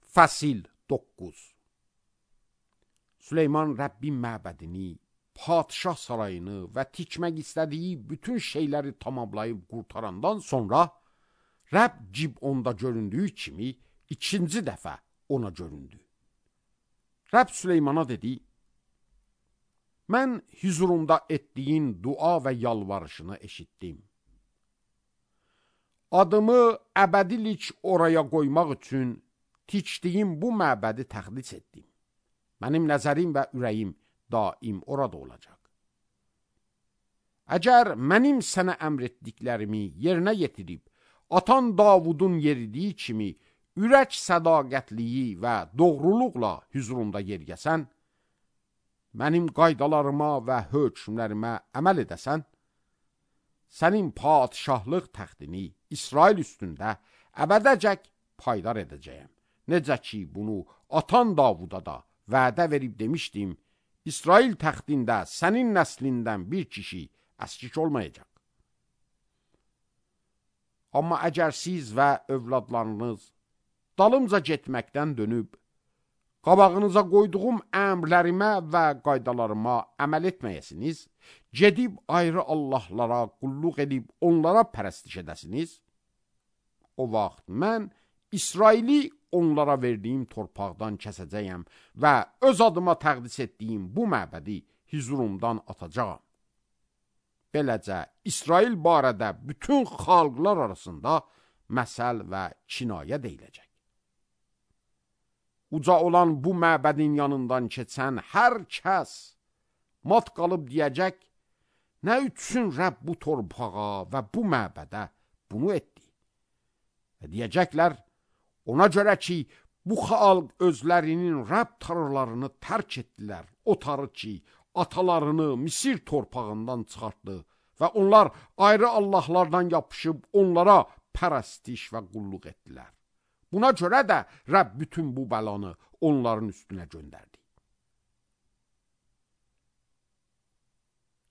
Fəsil 9. Süleyman Rəbbin məbədini, padişah sarayını və tikmək istədiyi bütün şeyləri tamamlayıb qurtarandan sonra Rəbb Gibonda göründüyü kimi ikinci dəfə ona göründü. Rəbb Süleymana dedi: Mən huzurumda etdiyin dua və yalvarışını eşitdim. Adımı əbədilik oraya qoymaq üçün tikdiyim bu məbədi təqdis etdim. Mənim nəzərim və ürəyim daim orada olacaq. Əgər mənim sənə əmr etdiklərimi yerinə yetirib, atan Davudun yeridiyi kimi ürək sədaqətliyi və doğruluqla huzurumda yergəsən, mənim qaydalarıma və hökmlərimə əməl edəsən, sənin padişahlıq təxtini İsrail üstündə əbədəcək paydar edəcəyəm. Necə ki, bunu atan Davuda da vədə verib demişdim, İsrail təxtində sənin nəslindən bir kişi əskik olmayacaq. Amma əgər siz və övladlarınız dalımca getməkdən dönüb, qabağınıza qoyduğum əmrlərimə və qaydalarıma əməl etməyəsiniz, gedib ayrı Allahlara qulluq edib onlara pərəstiş edəsiniz, o vaxt mən İsraili onlara verdiyim torpaqdan kəsəcəyəm və öz adıma təqdis etdiyim bu məbədi huzurumdan atacağam. Beləcə, İsrail barədə bütün xalqlar arasında məsəl və kinayə deyiləcək. Uca olan bu məbədin yanından keçən hər kəs mat qalıb deyəcək, nə üçün Rəbb bu torpağa və bu məbədə bunu etdi? Və deyəcəklər, ona görə ki, bu xalq özlərinin Rəbb tanrılarını tərk etdilər, o tanrı ki, atalarını Misir torpağından çıxartdı və onlar ayrı Allahlardan yapışıb onlara pərəstiş və qulluq etdilər. Buna görə də Rəbb bütün bu bəlanı onların üstünə göndərdi.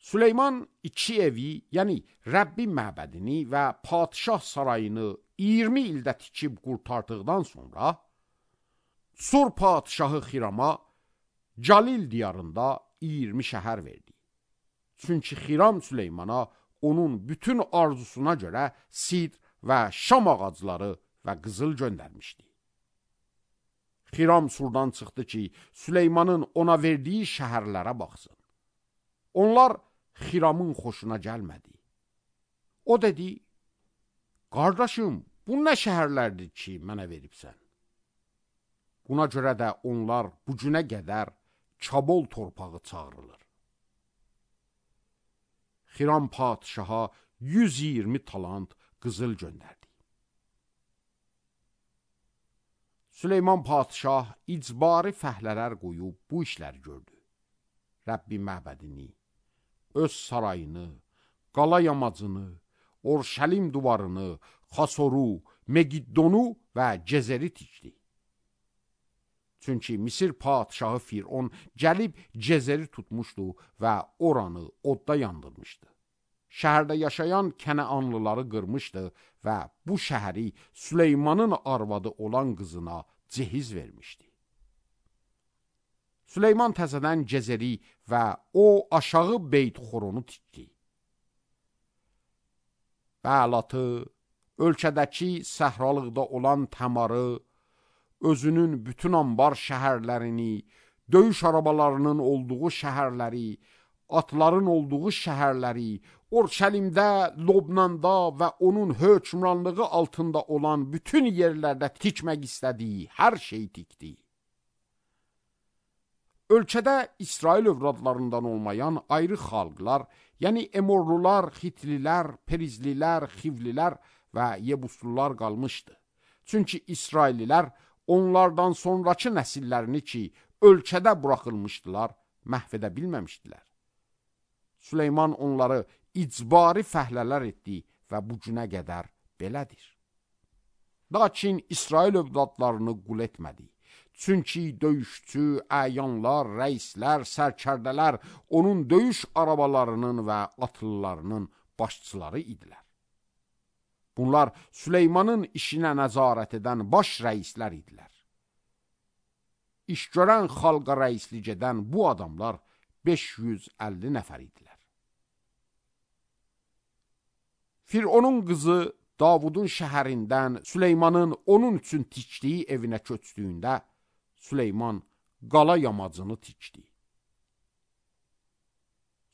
Süleyman iki evi, yəni Rəbbin məbədini və padişah sarayını 20 ildə tikib qurtardıqdan sonra Sur padişahı Xirama Calil diyarında 20 şəhər verdi. Çünki Xiram Süleymana onun bütün arzusuna görə sidr və şam ağacları və qızıl göndərmişdi. Xiram Surdan çıxdı ki, Süleymanın ona verdiyi şəhərlərə baxsın. Onlar Xiramın xoşuna gəlmədi. O dedi: Qardaşım, bu nə şəhərlərdir ki, mənə veribsən? Buna görə də onlar bu günə qədər Kabul torpağı çağırılır. Xiram padişaha 120 talant qızıl göndərdi. Süleyman padişah icbari fəhlələr qoyub bu işləri gördü. Rəbbin məbədini, öz sarayını, qala yamacını, Orşəlim duvarını, Xasoru, Megiddonu və Cezeri tikdi. Çünki Misir padişahı Firon gəlib Cezeri tutmuşdu və oranı odda yandırmışdı. Şəhərdə yaşayan Kənaanlıları qırmışdı və bu şəhəri Süleymanın arvadı olan qızına cehiz vermişdi. Süleyman təzədən Cezeri və o aşağı Beyt-Xoronu tikdi. Bəlatı, ölkədəki səhralıqda olan Təmarı, özünün bütün ambar şəhərlərini, döyüş arabalarının olduğu şəhərləri, atların olduğu şəhərləri, Orşəlimdə, Lobnanda və onun hökmranlığı altında olan bütün yerlərdə tikmək istədiyi hər şeyi tikdi. Ölkədə İsrail övladlarından olmayan ayrı xalqlar, yəni Emorlular, Xitlilər, Perizlilər, Xivlilər və Yebuslular qalmışdı. Çünki İsraillilər onlardan sonraki nəsillərini ki, ölkədə buraxılmışdılar, məhv edə bilməmişdilər. Süleyman onları icbari fəhlələr etdi və bu günə qədər belədir. Lakin İsrail övladlarını qul etmədi. Çünki döyüşçü, əyanlar, rəislər, sərkərdələr onun döyüş arabalarının və atlılarının başçıları idilər. Bunlar Süleymanın işinə nəzarət edən baş rəislər idilər. iş görən xalqa rəislik edən bu adamlar 550 nəfər idilər. Fironun qızı Davudun şəhərindən Süleymanın onun üçün tikdiyi evinə köçdüyündə Süleyman qala yamacını tikdi.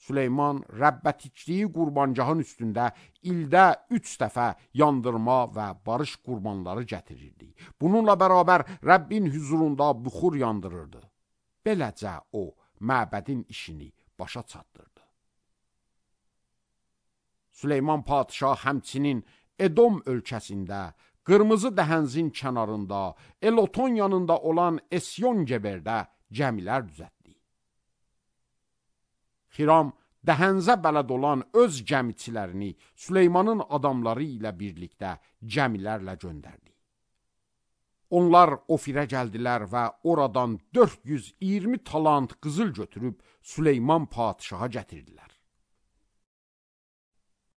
Süleyman Rəbbə tikdiyi qurbancağın üstündə ildə 3 dəfə yandırma və barış qurbanları gətirirdi. Bununla bərabər Rəbbin huzurunda buxur yandırırdı. Beləcə o, məbədin işini başa çatdırdı. Süleyman padişah həmçinin Edom ölkəsində, Qırmızı dəhənzin kənarında, Eloton yanında olan Esyon-Geberdə gəmilər düzəltdi. Xiram dəhənzə bələd olan öz gəmiçilərini Süleymanın adamları ilə birlikdə gəmilərlə göndərdi. Onlar Ofirə gəldilər və oradan 420 talant qızıl götürüb Süleyman padişaha gətirdilər.